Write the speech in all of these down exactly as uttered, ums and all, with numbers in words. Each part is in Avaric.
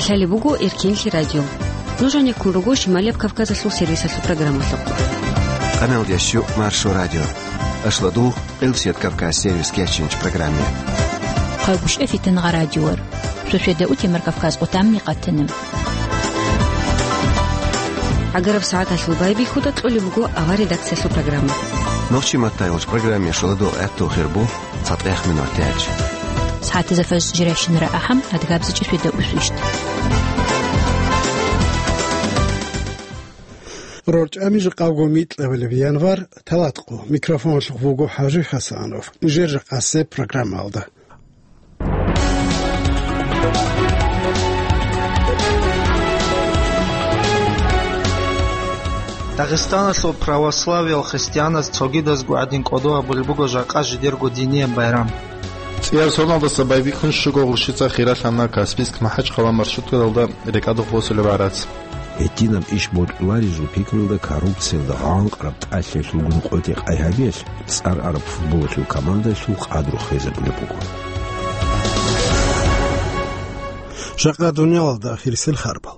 Лъалеб буго Эркенлъи радио. Нуж гьанеккун руго Шималияб Кавказалъул сервисалъул программалъухъ. Къаналдияс щу Маршо радио. Ашладул Къилсият Кавказ сервис кечинч программе. Хъагушев Фитангъа радиор. Суседа утемар Кавказ къутамни къатана. ГӀагараб сагӀаталъул байбихьуда кьолеб буго авар редакциялъул программа. Нохчи маттайгъулч программе шуладул гӀатту хирбу. ЦатӀехъ минут тяч. СагӀатизафас жиращинара ахӀам, адгабзичӀи светаусвищ. РорчӀами жакъавго микьабилеб январ, талатӀкъо. Микрофоналъухъ буго ХӀажи ХӀасанов. Нижер жакъасеб программалда. Дагъистаналъул православиял христианаз цогидазго гӀадин кӀодо гьабулеб буго жакъа жидерго динияб байрам. ЦӀияр соналдаса байбихьун щуго гъурщица хиралъана Каспийск-МахӀачхъала маршруткаялда рекӀадухъ босулеб гӀарац. Гьединаб иш бокьуларизул пикруялда коррупциялда гъанкъараб тӀалъиялъулгун къотӀи-къай гьабиялъ, цӀар араб футболалъул командалъул къадру хвезабулеб буго. Жакъа дуниялалда ахирисел харбал.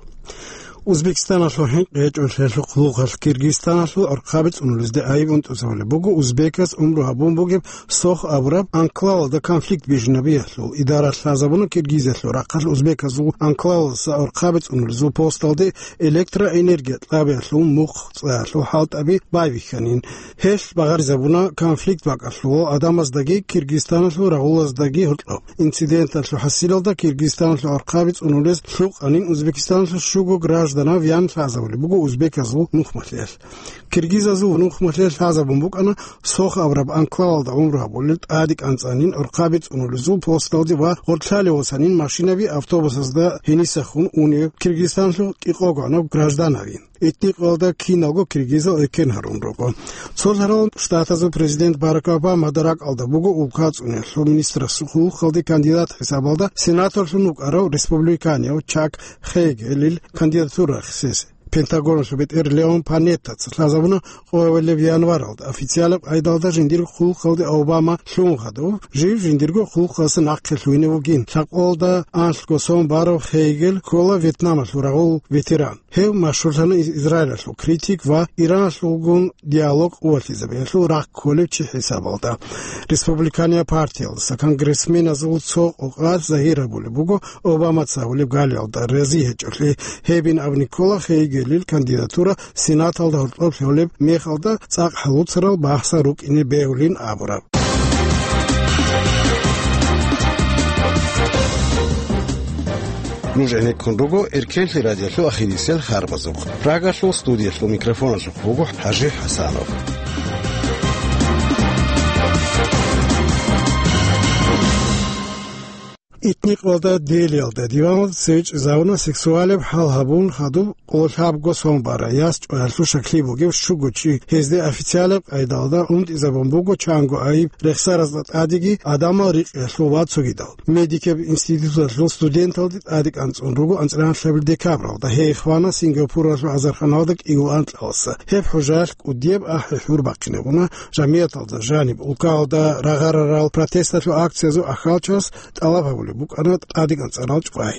Узбекистаналъул хӀинкъи гьечӀолъиялъухъ лугъалъ Киргизстаналъул гӀурхъаби цӀунулезде айиб унтӀузабулеб буго узбеказ умру гьабун бугеб Сох абураб анклавалда конфликт бижунабиялъул. Идара лъазабуна Киргизиялъул рахъалъ узбеказул анклавалдаса гӀурхъаби цӀунулезул посталде электроэнергия кьабиялъул мухъ цӀаялъул хӀалтӀаби байбихьанин. Гьелъ багъаризабуна конфликт бакӀалъулал гӀадамаздаги Киргизстаналъул рагъулаздаги гьоркьоб. Инциденталъул хӀасилалда Киргизстаналъул гӀурхъаби цӀунулез лъукъанин Узбекистаналъул щуго гражданав ян лъазабулеб буго узбеказул нухмалъиялъ. Киргизазул нухмалъиялъ лъазабун букӀана Сох абураб анклавалда гӀумру гьабулел тӀадекӀанцӀанин гӀурхъаби цӀунулезул посталде ва гъоркьлъалев васанин машинаби автобусазда гьенисахун унев Киргизстаналъул кӀикъого гӀанав гражданавин. Этникалда киналго киргизал экен гьарун руго. Цо лъарал Штатазул президент Барак Обамада ракӀалда буго улкацӀунелъул министрасул хъулухъалде кандидат хӀисабалда сенаторлъун вукӀарав республиканияв Чак Хейгелил кандидатура рехсезе. Пентагоналъул бетӀер Леон Панеттаца лъазабуна къоялъ январалда официалаб къайдалда жиндирго хъулухъалде Обама лъун хадув, жив жиндирго хъулухъалъа нахъе лъугьине вугин. Лъабкъоялда анлъго сон барав Хейгел ккола Вьетнамалъул рагъул ветеран. Гьев машгьурлъана Израилалъул критик ва Ираналъулгун диалог къуватизабиялъул рахъ кколев чи хӀисабалда. Республиканияб партиялдаса конгрессменазул цо къокъалъ загьир гьабулеб буго Обамаца гьабулеб галиялда рази гьечӀолъи. Гьебин абуни ккола Хейгелил кандидатура Сенаталда гьоркьоб лъолеб мехалда цӀакъ гьалуцарал бахса рукӀине бегьулин абураб. Нуж гӀенеккун руго Эркенлъи радиолъул ахирисел харбазухъ. Прагалъул студиялъул микрофоналъухъ буго ХӀажи ХӀасанов. Этникалда Делиялда диваналда цеве чӀезавуна сексуалеб хӀал гьабун хадуб къоло лъабго сон бара яс чӀваялъул щаклъи бугев щуго чи. Гьезде официалаб къайдалда унтӀизабун буго чанго айиб рехсаразда тӀадеги гӀадамал рикъиялъул ва цогидал. Медикаб институталъул студенталде тӀадекӀанцӀун руго анцӀила лъабил декабралда. Гьей хвана Сингапуралъул гӀазарханалда кӀиго анкьаласа. Гьеб хӀужаялъ кӀудияб ахӀи-хӀур бахъинабуна жамигӀаталда жаниб. Улкалда рагъарарал протесталъул акциязул ахьалчас тӀалаб гьабулеб букӀана тӀадекӀанцӀарал чӀвай.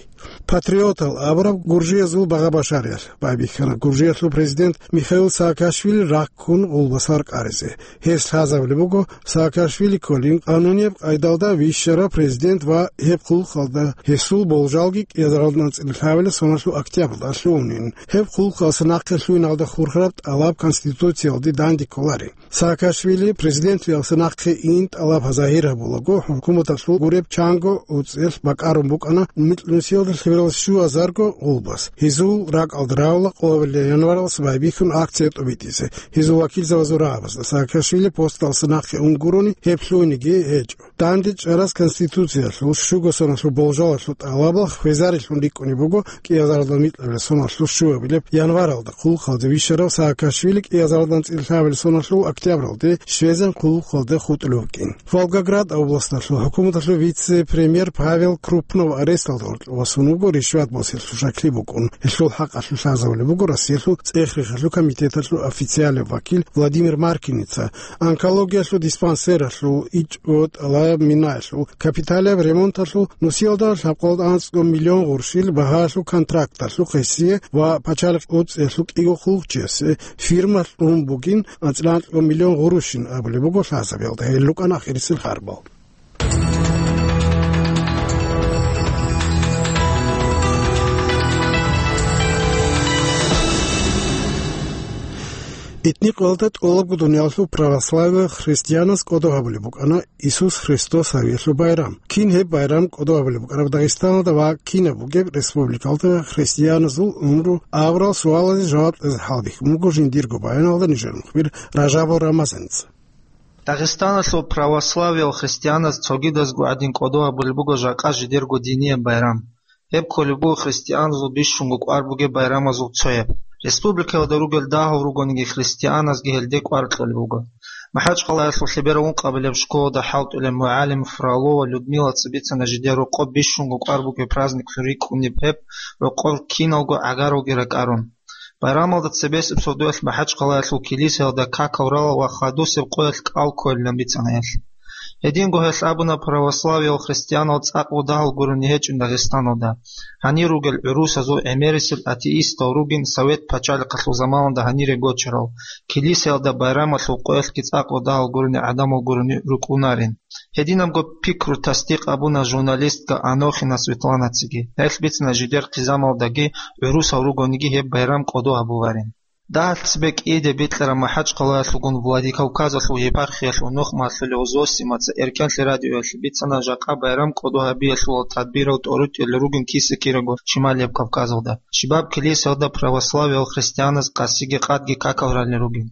Патриотал абураб гуржиязул багъа-башариялъ байбихьана. Гуржиялъул президент Михаил Саакашвили раккун гъулбас варкъаризе. Гьес лъазабулеб буго Саакашвили кколин къанунияб къайдалда вищарав президент ва гьеб хъулухъалда гьесул болжалги кӀиазаралда анцӀила лъабила соналъул октябралда лъугьунин. Гьеб хъулухъалъа нахъе лъугьиналда хурхараб тӀалаб Конституциялде данде кколарин. Саакашвили президентлъиялъа нахъе ин тӀалаб загьир гьабулаго, хӀукуматалъул гуреб чанго уцӀелъ бакӀарун букӀана микьнусиялда лъебералда щуазарго гъулбас. Гьезул ракӀалда равла къоабилеб январалъ байбихьун акция тӀубитӀизе. Гьезул вакилзабазул рагӀабазда Саакашвили посталъа нахъе ун гурони гьеб лъугьиниги гьечӀо. Данде чӀарас Конституциялъул щуго соналъул болжалалъул тӀалабал хвезарелъун рикӀкӀунеб буго кӀиазаралда микьабилеб соналъул щуабилеб январалда хъулухъалде вищарав Саакашвили кӀиазаралда анцӀила лъабабилеб соналъул октябралде Швециялъул хъулухъалде хутӀулев вукӀин. Волгоград областалъул хӀукуматалъул вице-премьер Павел Крупнов аресталда гьоркьов васун вуго ришват босиялъул щаклъи букӀун. Гьелъул хӀакъалъулъ лъазабулеб буго Россиялъул цӀех-рехалъул комитеталъул официалаб вакил Владимир Маркиница. Онкологиялъул диспансералъул ичӀго тӀалаб минаялъул капиталияб ремонталъул нусиялда лъабкъоялда анцӀго миллион гъурщил багьалъул контракталъул хисие ва пачалихъ уцӀиялъул кӀиго хъулухъчиясе фирма кьун бугин анцӀила анцӀго миллион гъурущин абулеб буго лъазабиялда. Гьел рукӀана ахирисел харбал. Этникалда тӀолабго дуниялалъул православиял христианаз кӀодо гьабулеб букӀана Исус Христос гьавиялъул байрам. Кин гьеб байрам кӀодо гьабулеб букӀараб Дагъистаналда ва кинаб бугеб республикалда христианазул унру абурал суалазе жаваб кьезе хӀалбихьун буго жиндирго баяналда нижер мухбир Ражабов Рамазанца. Дагъистаналъул православиял христианаз цогидазго гӀадин кӀодо гьабулеб буго жакъа жидерго динияб байрам. Гьеб кколеб буго христианазул бищунго кӀвар бугеб байрамазул цояб. Республикаялда ругел дагьал ругониги христианазги гьелде кӀвар кьолеб буго. МахӀачхъалаялъул лъеберал ункъабилеб школалда хӀалтӀулеб мугӀалим Фролова Людмилаца бицана жидер рокъоб бищунго кӀвар бугеб праздниклъун рикӀкӀунеб гьеб рокъор киналго гӀагаралги ракӀарун. Байрамалда цебесеб сордоялъ МахӀачхъалаялъул килисаялда какал рала ва хадусеб къоялъ кӀал кколилан бицана гьелъ. Гьединго гьелъ абуна православиял христианал цӀакъго дагьал гурони гьечӀин Дагъистаналда. Гьанир ругел гӀурусазул гӀемерисел атеистал ругин совет пачалихъалъул заманалда гьанире гочарал, килисаялда байрамалъул къоялъги цӀакъго дагьал гурони гӀадамал гурони рукӀунарин. Гьединабго пикру тасдикъ абуна журналистка Анохина Светланациги. Гьелъ бицана жидер хъизамалдаги гӀурусал ругониги гьеб байрам кӀодо гьабуларин. Дагьалъ цебе кӀиде бикьараб МахӀачхъалаялъулгун Владикавказалъул епархиялъул нухмалъулев Зосимаца Эркенлъи радиоялъе бицана жакъа байрам кӀодо гьабиялъулал тадбирал тӀоритӀулел ругин киса-кираго Шималияб Кавказалда. Щибаб килисаялда православиял христианаз къасиги къадги какал ралел ругин.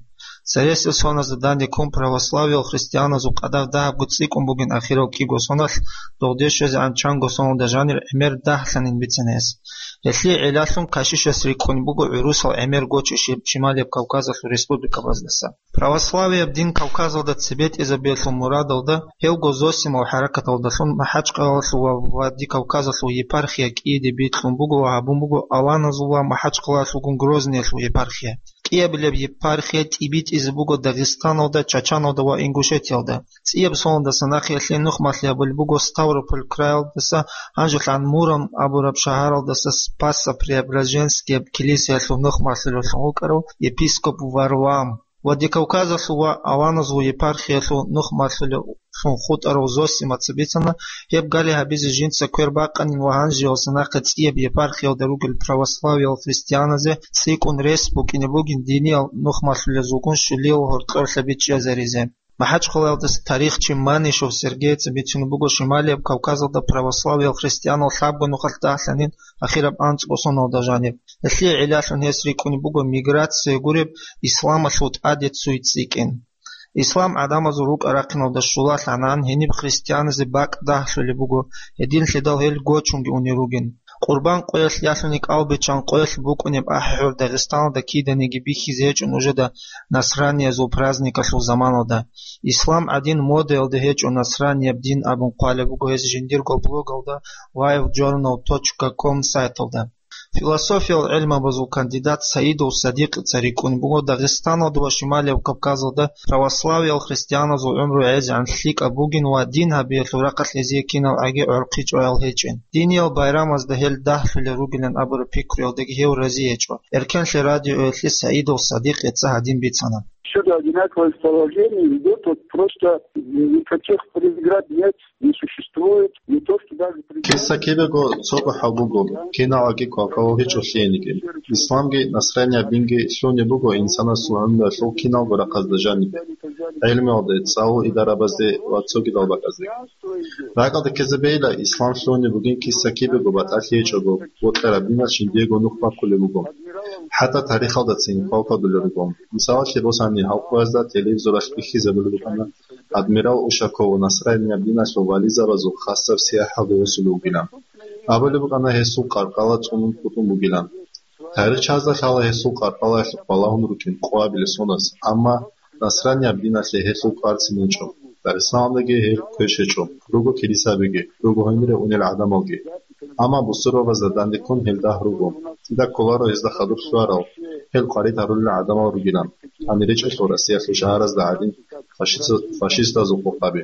Цересел соназда данде ккун православиял христианазул къадар дагьабго цӀикӀкӀун бугин ахирал кӀиго соналъ, догъде щвезегӀан чанго соналда жанир гӀемер дагьлъанин бицана гьес. Гьелъие гӀиллалъун кашишас рикӀкӀунеб буго гӀурусал гӀемер гочи Ши-, Шималияб Кавказалъул республикабаздаса. Православияб дин Кавказалда цебетӀезабиялъул мурадалда гьевго Зосимал хӀаракаталдалъун МахӀачхъалаялъул ва Владикавказалъул епархия кӀиде бикьун буго ва гьабун буго аланазул ва МахӀачхъалаялъулгун Грозныялъул епархия. КӀиабилеб епархия тӀибитӀизе буго Дагъистаналда, Чачаналда ва Ингушетиялда. ЦӀияб соналдаса нахъе гьелъие нухмалъи гьабулеб буго Ставрополь краялдаса, гьанжелъан Муром абураб шагьаралдаса Спасо-Преображенскияб килисаялъул нухмалъулевлъун вукӀарав епископ Варлаам. Владикавказалъул ва аланазул епархиялъул нухмалъулевлъун хутӀарав Зосимаца бицана, гьеб гали гьабизе жинца квер бакъанин ва гьанжеялдаса нахъе цӀияб епархиялда ругел православиял христианазе цӀикӀкӀун рес букӀине бугин диниял нухмалъулезулгун щулиял гьоркьорлъаби чӀезаризе. МахӀачхъалаялдаса тарихчи Манишев Сергейица бицунеб буго Шималияб Кавказалда православиял христианал лъабго нухалъ дагьлъанин ахираб анцӀго соналда жаниб. Гьелъие гӀиллалъун гьес рикӀкӀунеб буго миграция гуреб исламалъул тӀаде цуй цӀикӀкӀин. Ислам гӀадамазул рукӀа-рахъиналда щулалъанан, гьениб христианазе бакӀ дагьлъулеб буго, гьединлъидал гьел гочунги унел ругин. Къурбан къоялъ ялъуни кӀалбиччан къоялъ букӀунеб ахӀи-хӀур Дагъистаналда киданиги бихьизе гьечӀо нужеда насраниязул праздникалъул заманалда. Ислам гӀадин модаялда гьечӀо насранияб дин абун хъвалеб буго гьес жиндирго блогалда лайв джорнал точка ком сайталда. Философиял гӀелмабазул кандидат Саидов Садикъица рикӀкӀун буго Дагъистаналда ва Шималияб Кавказалда православиял христианазул гӀумру гӀезегӀан лъикӀаб бугин ва дин гьабиялъул рахъалъ гьезие кинал гӀаги гӀорхъи чӀваял гьечӀин. Диниял байрамазда гьел дагьлъулел ругилан абураб пикруялдаги гьев рази гьечӀо. Эркенлъи радиоялъе Саидов Садикъица гьадин бицана. Всюду одинаковое положение идет, вот просто никаких преград нет, не существует, не то что даже преград. Киса кибего цого хӀал буго, киналаги квалквалал гьечӀо лъиениги. Исламги насранияб динги лъугьунеб буго инсанасул гӀумруялъул киналго рахъазда жаниб, гӀелмуялде, цӀалул идарабазде ва цогидал бакӀазде. РакӀалде ккезабейила, ислам лъугьунеб бугин киса кибего батӀалъи гьечӀого, бокьараб диналъ жиндиего нух баккулеб буго. ХӀатта тарихалдацин квалквадулел руго. Мисалалъе босани, гьалкъуязда телевизоралъ бихьизабулеб букӀана, адмирал Ушаков насранияб диналъул вализабазул хасаб сияхӀалде восулев вугилан. Абулеб букӀана гьесул къаркъала цӀунун хутӀун бугилан. Тарихчазда лъала гьесул къаркъалаялъухъ балагьун рукӀин къоабилеб соназ, амма насранияб диналъе гьелъул кӀварцин гьечӀо. Дагъистаналдаги гьел квеш гьечӀо, руго килисабиги, руго гьенире унел гӀадамалги. Амма бусурбабазда дандеккун гьел дагь руго. КӀида кколаро гьезда хадур лъугьарал, гьел къварид гьарулел гӀадамал ругилан, гьанир речӀелъул Россиялъул шагьаразда гӀадин фашист-, фашистазул къокъаби.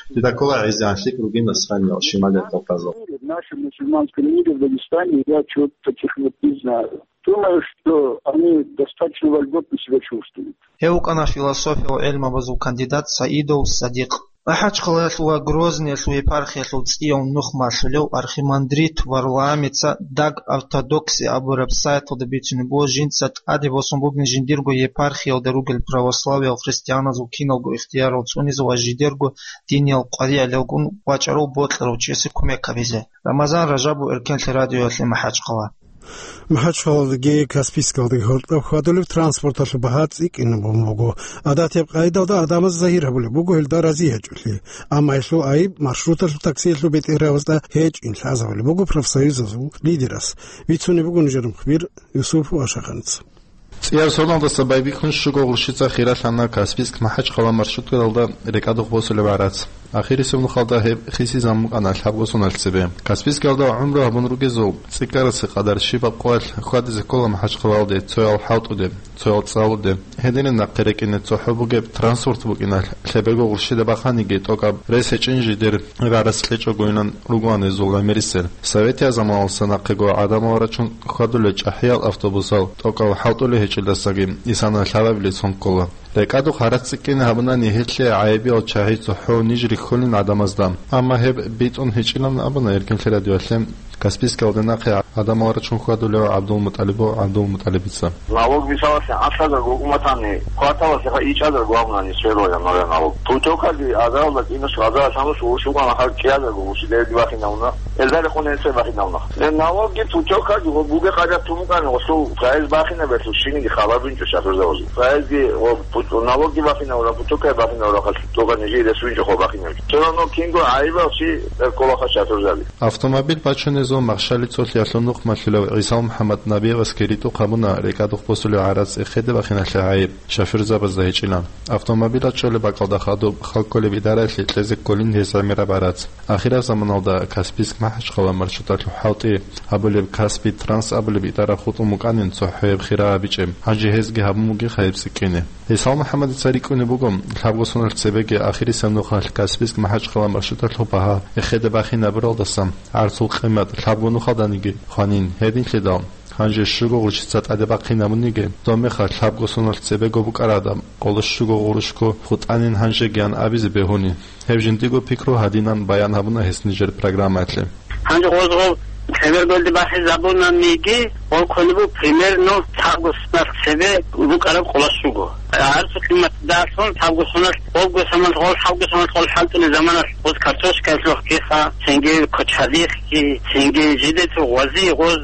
И такого гӀезегӀан лъикӀ ругин Насраниял, Шималияб Кавказал. В нашем мусульманском мире, в Дагестане, я чего-то таких вот не знаю. Думаю, что они достаточно вольготно себя чувствуют. Гьев вукӀана философиял гӀелмабазул кандидат Саидов Садикъ. МахӀачхъалаялъул ва Грозныялъул епархиялъул цӀияв нух малъулев архимандрит Варламица Даг ортодокси абураб сайталда бицунеб буго, жинца тӀаде босун бугин жиндирго епархиялда ругел православиял христианазул киналго ихтиярал цӀунизе ва жидерго диниял къваригӀелалгун вачӀарав бокьарав чиясе кумек гьабизе. Рамазан Ражабов, Эркенлъи радиоялъе, МахӀачхъала. МахӀачхъаладеги Каспийскалдаги гьоркьоб хьвадулеб транспорталъул багьа цӀикӀкӀинабун буго. Гьадатияб къайдалда гӀадамаз загьир гьабулеб буго гьелда разиячӀулъи. Амма гьелъул гӀайиб маршруталъул таксиялъул бетӀергьабазда гьечӀин лъазабулеб буго профсоюзазул лидерас. Бицунеб буго нужер мухбир Юсуп Вашагъанца. ЦӀияв соналдаса байбихьун щуго гъурщица хиралъана Каспийск-МахӀачхъала маршруткаялда рекӀадухъ босулеб гӀарац. Ахирисеб нухалда гьеб хисизабун букӀана лъабго соналъ цебе. Каспийскиялда гӀумру гьабун ругезул цӀикӀкӀарасе къадар щибаб къоялъ хьвадизе ккола МахӀачхъалаялде, цоял ХӀалтӀуде, цоял ЦӀалуде. Гьединаб нахъе рекӀине цохӀо бугеб транспорт букӀиналъ, лъебего гъурщида баханиги тӀокӀаб рес гьечӀин жидер гӀарац кьечӀогойилан ругоан гьезул гӀемерисел. Советияб заманалдаса нахъего гӀадамал рачун хьвадулел чӀахӀиял автобусал тӀокӀал хӀалтӀулел гьечӀелдасаги исана лъабабилеб сон ккола. РекӀадухъ гӀарац цӀикӀкӀине гьабунани гьелъие гӀайибиял чагӀи цохӀо ниж рихьулин гӀадамазда. Амма гьеб битӀун гьечӀилан абуна Эркенлъи радиоялъе Каспийскиялде нахъе гӀадамал рачун хьвадулев ГӀабдулмутӀалибов ГӀабдулмутӀалибица. Налог мисалалъе гӀалъазарго уматани, кварталалъе ха ичӀазарго абунани сверла я налог. Путёвкаги азаралда кӀинус, азаралъ гьанус гъурущ букӀана, ха кӀиазарго гъурущ дерги бахинавна. Элдарихъун гьенце бахинавна. Э, налогги путёвкаги гъо бугеб къайда тун букӀани гъосул проезд бахинаб берлъу шиниги хабар бинчӀо шофёрзабазе. Проездги гъо пут-, налогги бахинавра, путёвкаги бахинавра, халъ тога нижее рес винчӀо хо бахинавчӀо. Всё равно кинго гӀайибал чи, э, кколаха шофёрзаби. Автомобиль бачунезул махщали цолъиялъул нух малъулев ГӀисал МухӀаммад Набиевасги ритӀухъ гьабуна рекӀадухъ босулев гӀарац эхеде бахиналъе гӀайиб шофёрзабазда гьечӀилан. Автомобилал чӀолеб бакӀалда хадуб хал кколеб идараялъе кьезе кколин гьез гӀемераб гӀарац. Ахираб заманалда Каспийск-МахӀачхъала маршруталъул хӀалтӀи гьабулеб Каспий Транс абулеб идара хутӀун букӀанин цохӀояб хира гьабичӀеб, гьанже гьезги гьабун бугеха гьеб цӀикӀкӀине. ГӀисал МухӀаммадица рикӀкӀунеб буго, лъабго соналъ цебеги ахирисеб нухалъ Каспийск-МахӀачхъала маршруталъул багьа эхеде бахинабуралдаса гӀарцул къимат лъабго нухалданиги хванин, гьединлъидал гьанже щуго гъурщица тӀаде бахъинабуниги, доб мехалъ лъабго соналъ цебего букӀараб къоло щуго гъурущго хутӀанин гьанжеги ан абизе бегьуни. Гьеб жиндиго пикру гьадинан баян гьабуна гьес нижер программаялъе. Гьанже гъоз гъов лъеберголде бахизабунаниги, гъов кколеб буго примерно лъабго соналъ цебе букӀараб къоло щуго. ГӀарцул къиматалъун лъабго соналъ, гъобго соналъ гъол, лъабго соналъ гъол хӀалтӀулел заманалъ гъоз картошкаялъухъги ха, цинги кочардихъги, цинги жидецо гъвази гъоз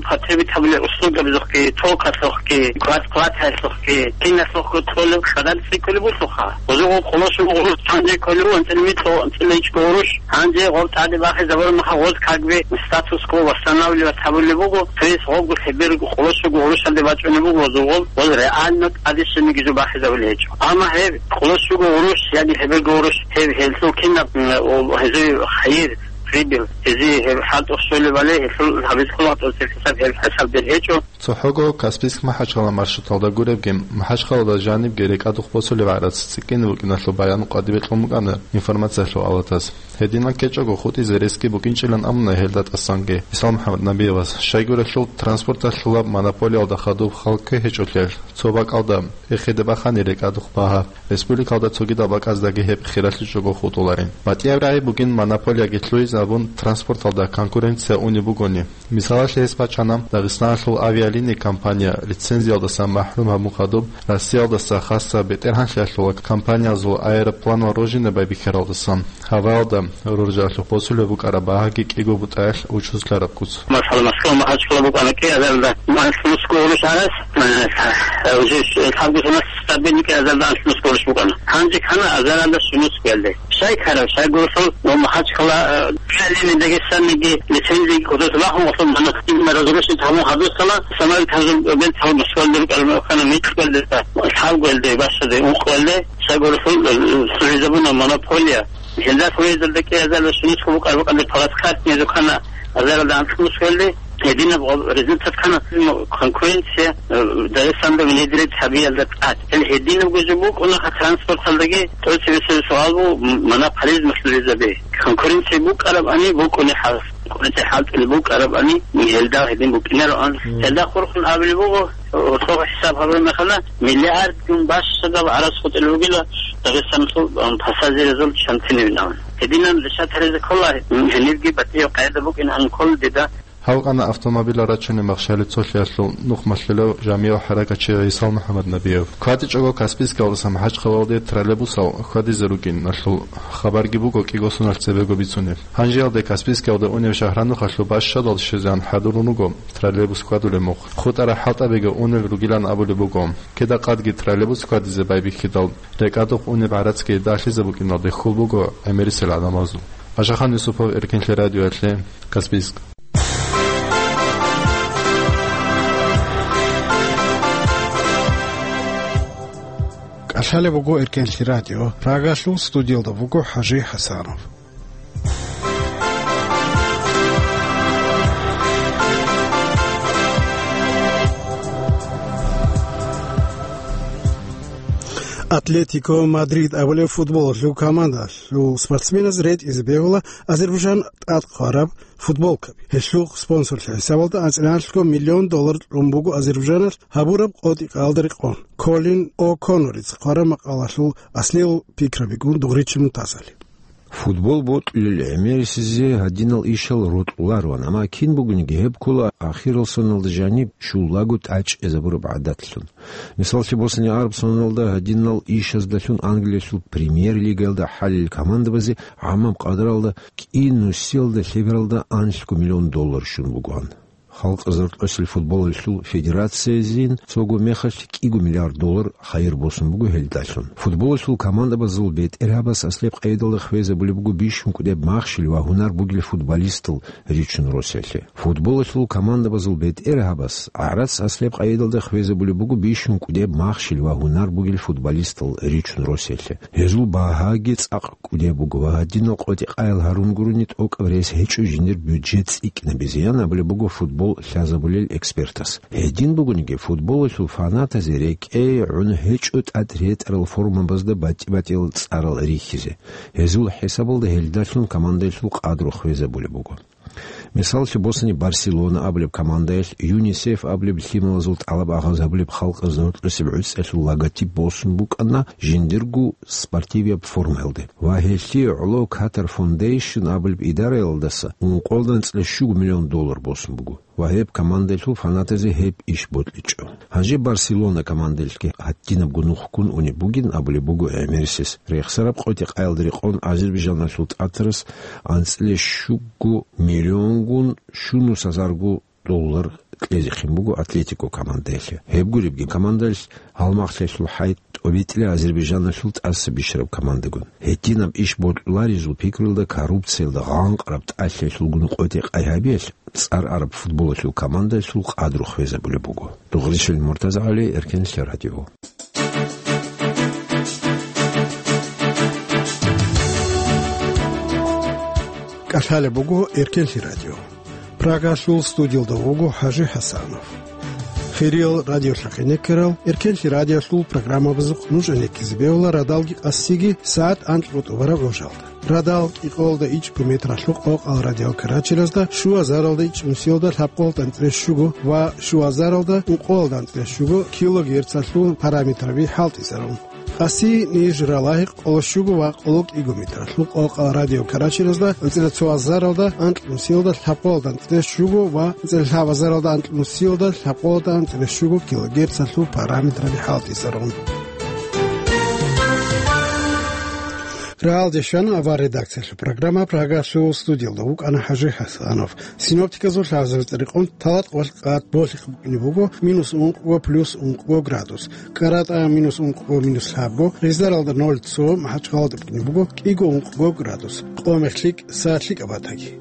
потребить гьабулел услугабазухъги, токалъухъги, кват-, кваталъухъги, киналъухъго толеб къадар цӀикӀкӀулеб буго. Гъозул гъол къоло щуго гъурущ гьанже кколев, анцӀила микьго, анцӀила ичӀго гъурущ. Гьанже гъоб тӀаде бахизабураб мехалъ гъоз как бы статус-кво восстанавливать гьабулеб буго, то есть гъобго лъеберго къоло щуго гъурущалде бачӀунеб буго гъозул гъол, гъоз реально тӀаде щибниги жо бахизабулеб гьечӀо. Амма гьеб къоло щуго гъурущ яги лъеберго гъурущ, гьеб гьелъул кинаб, м, о, гьезул хайир, прибыль, гьезие гьеб хӀалтӀухъ щолебали, гьелъул гьабизе ккола тӀоцебе хӀисаб, гьеб хӀисаб бер гьечӀо. ЦохӀого Каспийск-МахӀачхъала маршруталда гуребги, МахӀачхъалада жанибги рекӀадухъ босулеб гӀарац цӀикӀкӀине букӀиналъул баян къватӀибе кьун букӀана информациялъул авлатас. Гьединан ккечӀого хутӀизе ресги букӀинчӀилан абуна гьелда тӀасанги ГӀисал МухӀаммад Набиевас. Щайгурелъул транспорталъулаб монополиялда хадуб хал ккве гьечӀолъиялъ, цо бакӀалда эхеде бахани рекӀадухъ багьа, республикалда цогидал бакӀаздаги гьеб хиралъичӀого хутӀуларин. БатӀияб рагӀи бугин монополияги лъугьизе абун транспорталда конкуренция унеб бугони. Мисалалъе гьес бачӀана, Дагъистаналъул авиалинии компания лицензиялдасан махӀрум гьабун хадуб, Россиялдаса хасаб бетӀергьанлъиялъула компаниязул аэропланал рожине байбихьаралдасан, гьаваялда роржалъухъ босулеб букӀараб багьаги кӀиго бутӀаялъ учузлъараб куц. Масала, Москва, МахӀачхъала букӀана кӀиазарда анлънусго гъурущ гӀарац, э, уже лъабго соналъ стабильно кӀиазарда анлънусго гъурущ букӀана. Гьанже ккана азаралда щунусго гьелде. Щай ккараб, щайгурелъул, ну, МахӀачхъала, э, Дагестаниги лицензияги кодос бахун, гъосул монастырь разрушить гьабун хадусала, самай тазул бен тал Москвалде рукӀараб механа микьгӀелде, лъабгоялде, бащаде, ункъгоялде, щайгурелъул, э, лъугӀизабуна монополия. Гьелда лъугӀизарда кӀиазарда щунусго букӀараб букӀанде плацкартни дукана азаралда анцӀ мусгӀелде, Гьединаб гъоб-, результат ккана, конкуренция, э, Дагъистанда внедрить гьабиялда тӀад. Гьел гьединабго жо букӀунаха транспорталдаги, тӀоцебесеб суал буго, м-, монополизм лъуризабе. Конкуренция букӀарабани букӀунехӀал, конкуренция хӀалтӀулеб букӀарабани, гьелда гьедин букӀинароан. Мгм. Гьелда хурхун абулеб буго, гьоркьоб хӀисаб гьабураб мехалда, миллиардгун бащадаб гӀарац хутӀулеб бугила Дагъистаналъул, м, пассажирзул чанцинивинаван. Гьединан решать гьаризе ккола, м, гьенибги батӀияб къайда букӀин ан ккола дида. Гьавкъана автомобилал рачунеб махщел цолъиялъул нухмалъулев жамигӀ хӀаракатчи ГӀисал МухӀаммаднабиев. КватӀичӀого Каспийскалдаса МахӀачхъалалде троллейбусал хьвадизе ругиналъул хабарги буго кӀиго соналъ цебего бицунеб. Гьанжеялде Каспийскалде унев Шагьранухалъул бащадал щвезегӀан хӀадурун руго троллейбус хьвадулеб мухъ. ХутӀараб хӀалтӀабиги унел ругилан абулеб буго. Кида-къадги троллейбус хьвадизе байбихьидал, рекӀадухъ унеб гӀарацги далъизе букӀиналде хьул буго гӀемерисел гӀадамазул. Ашахан Юсупов, Эркенлъи радиоялъе, Каспийск. КӀалъалеб буго Эркенлъи радио. Прагалъул студиялда вуго ХӀажи ХӀасанов. Атлетико Мадрид абулеб футболалъул командалъул спортсменаз ретӀизе бегьула Азербайжан тӀад хъвараб футболкаби. Гьелъул спонсорлъи хӀисабалда анцӀила миллион доллар кьун буго Азербайжаналъ гьабураб къотӀи-къаялда рекъон. Колин О'Конноррица хъвараб макъалалъул аслиял пикрабигун дугъричи Мутазали. Футбол бокьулел гӀемерисезе гьадинал ишал рокьулароан, амма кин бугониги гьеб ккола ахирал соналда жаниб щулаго тӀад чӀезабураб гӀадатлъун. Мисаллъи босани, араб соналда гьадинал ишаздалъун Англиялъул премьер-лигаялда хӀалил командабазе гӀамаб къадралда кӀи нусиялда лъебералда анлъго миллион доллар щун бугоан. Халкъ заркьосел футболалъул федерациязин цого мехалъ кӀиго миллиард доллар хайир босун буго гьелдалъун. Футболалъул командабазул бетӀергьабаз аслияб къайдалда хвезабулеб буго бищун кӀудеб махщел ва гьунар бугел футболистал ричун росиялъе. Футболалъул командабазул бетӀергьабаз гӀарац аслияб къайдалда хвезабулеб буго бищун кӀудеб махщел ва гьунар бугел футболистал ричун росиялъе. Гьезул багьаги цӀакъ кӀудеб буго ва гьадинал къотӀи-къаял гьарун гурони тӀокӀаб рес гьечӀо жиндир бюджет цӀикӀкӀинабизе, ян абулеб буго футбол лъазабулел экспертас. Гьедин бугониги, футболалъул фанатазе рекӀее гӀун гьечӀо тӀад ретӀарал формабазда батӀи-батӀиял цӀарал рихьизе. Гьезул хӀисабалда гьелдалъун командаялъул къадру хвезабулеб буго. Мисаллъи босани, Барселона абулеб командаялъ ЮНИСЕФ абулеб лъималазул тӀалаб агъаз гьабулеб халкъ заркьосеб гӀуцӀиялъул логотип босун букӀана жиндирго спортивияб формаялде. Ва гьелъие гӀоло Катар Фондейшн абулеб идараялдаса ункъоялда анцӀила щуго миллион доллар босун буго. Ва гьеб командаялъул фанатазе гьеб иш бокьичӀо. Гьанже Барселона командаялъги гьадинабго нух ккун унеб бугин абулеб буго гӀемерисез. Рехсараб къотӀи-къаялда рекъон Азербайжаналъул тӀатарас анцӀила щуго миллионгун щунус гьазарго доллар кьезехъин буго Атлетико командаялъе. Гьеб гуребги, командаялъ гьалмагълъиялъул хӀай тӀобитӀила Азербайжаналъул тӀаса бищараб командагун. Гьединаб иш бокьуларезул пикруялда коррупциялда гъанкъараб тӀалъиялъулгун къотӀи-къай гьабиялъ цӀар араб футболалъул командаялъул къадру хвезабулеб буго. Дугъришил МуртазагӀали, Эркенлъи радио. КӀалъалеб буго Эркенлъи радио. Прагалъул студиялда вуго ХӀажи ХӀасанов. Хириял радиолъахъе ккарал, Эркенлъи радиолъул программабазухъ нуж гӀенеккизе бегьула радалги къасиги сагӀат анкьго тӀубараб гӀужалда. Радал кӀикъоялда ичӀго метралъул къокъал радиокарачиразда, щуазаралда ичӀ нусиялда лъабкъоялда анцӀила щуго ва щуазаралда ункъоялда анцӀила щуго килогерцалъул параметраби хӀалтӀизарун. Къаси ниж ралагьи къоло щуго ва къоло кӀиго метралъул къокъал радиокарачиразда анцӀила цоазаралда анкь нусиялда лъабкъоялда анцӀила щуго ва анцӀила лъабазаралда анкь нусиялда лъабкъоялда анцӀила щуго килогерцалъул параметраби хӀалтӀизарун. Рагьалде щвана авар редакциялъул программа, Прагалъул студиялда вукӀана ХӀажи ХӀасанов. Синоптиказул лъазабица рекъон талат къвалъ къад болъихъ букӀине буго минус ункъго плюс ункъго градус. КӀаратӀа минус ункъго, минус лъабго, гъизаралда ноль цо, МахӀачхъалада букӀине буго кӀиго ункъго градус. Къо-мех лъикӀ, са лъикӀаб батаги.